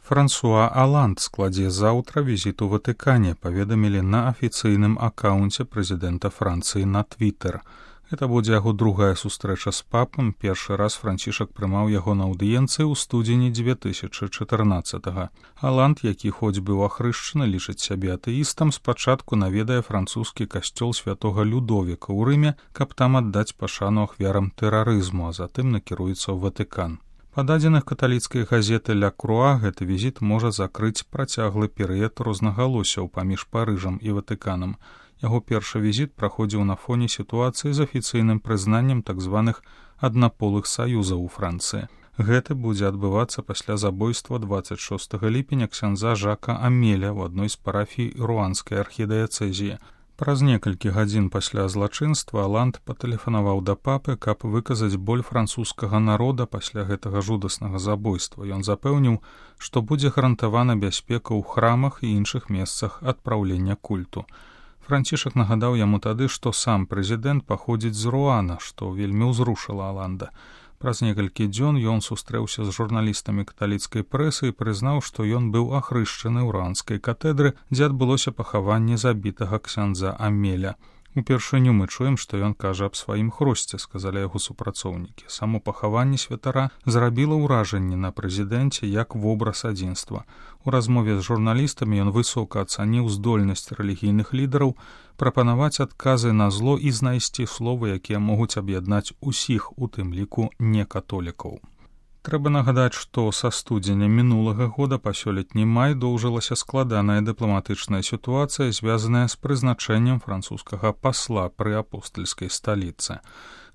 Франсуа Оланд складзе заўтра візіт у Ватыкане, паведамілі на афіцыйным акаунце прэзідэнта Францыі на Твіттер. Гэта будзе яго другая сустрэча з папам. Першы раз Францішак прымаў яго на аўдыенцыі ў студзені 2014-го. Оланд, які хоць быў ахрышчаны, лічыць сябе атэістам, спачатку наведае французскі касцёл святога Людовіка ў Рыме, каб там аддаць пашану ахвярам тэрарызму, а затым накіруецца ў Ватыкан. Па дадзеных каталіцкай газеты «Ля Круа» гэты візіт можа закрыць працяглы перыяд рознагалоссяў паміж Парыжам і Ватыканам. Яго першы візіт праходзіў на фоне сітуацыі з афіцыйным прызнаннем так званых аднаполых саюзаў у Францыі. Гэты будзе адбывацца пасля забойства 26 ліпеня ксяндза Жака Амеля ў адной з парафій руанскай архідыяцэзіі. Праз некалькі гадзін пасля злачынства Оланд патэлефанаваў да папы, каб выказаць боль французскага народа пасля гэтага жудаснага забойства. Ён запэўніў, што будзе гарантавана бяспека ў храмах і іншых месцах адпраўлення культу. Францішак нагадаў яму тады, што сам прэзідэнт паходзіць з Руана, што вельмі ўзрушыла Оланда. Праз некалькі дзён ён сустрэўся з журналістамі каталіцкай прэсы і прызнаў, што ён быў ахрышчаны ў руанскай катедры, дзе адбылося пахаванне забітага ксяндза Амеля. Упершыню мы чуем, што ён кажа аб сваім хросце, сказалі яго супрацоўнікі. Само пахаванне святара зрабіла ўражанне на прэзідэнце як вобраз адзінства. У размове з журналістамі ён высока ацаніў здольнасць рэлігійных лідараў прапанаваць адказы на зло і знайсці словы, якія могуць аб'яднаць усіх, у тым ліку некатолікаў. Трэба нагадаць, што са студзеня мінулага года па сёлетні май доўжылася складаная дыпламатычная сітуацыя, звязаная з прызначэннем французскага пасла пры апостальскай сталіцы.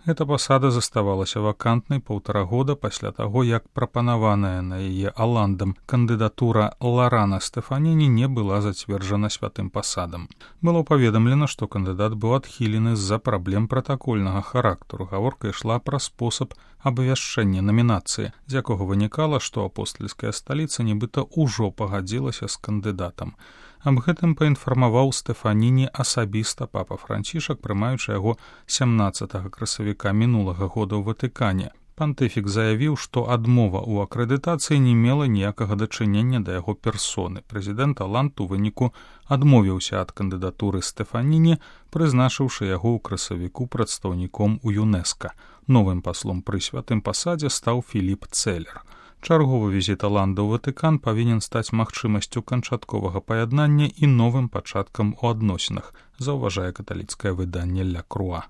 Эта пасада заставалася вакантнай 1,5 года пасля таго, як прапанаваная на яе Оландам кандыдатура Ларана Стэфаніні не была зацверджана святым пасадам. Было паведамлена, што кандыдат быў адхілены з-за праблем пратакольнага характару. Гаворка ішла пра спосаб абвяшчэння намінацыі, з якога вынікала, што апостальская сталіца нібыта ўжо пагадзілася з кандыдатам. Аб гэтым паінфармаваў Стэфаніні асабіста папа Францішак, прымаючы яго 17 красавіка мінулага года ў Ватыкане. Пантыфік заявіў, што адмова ў акрэдытацыі не мела ніякага дачынення да яго персоны. Прэзідэнт Оланд у выніку адмовіўся ад кандыдатуры Стэфаніні, прызначыўшы яго ў красавіку прадстаўніком у ЮНЕСКА. Новым паслом пры святым пасадзе стаў Філіп Цэлер. Чарговы візіт Оланда ў Ватыкан павінен стаць магчымасцю канчатковага паяднання і новым пачаткам у адносінах, заўважае каталіцкае выданне «Ля Круа».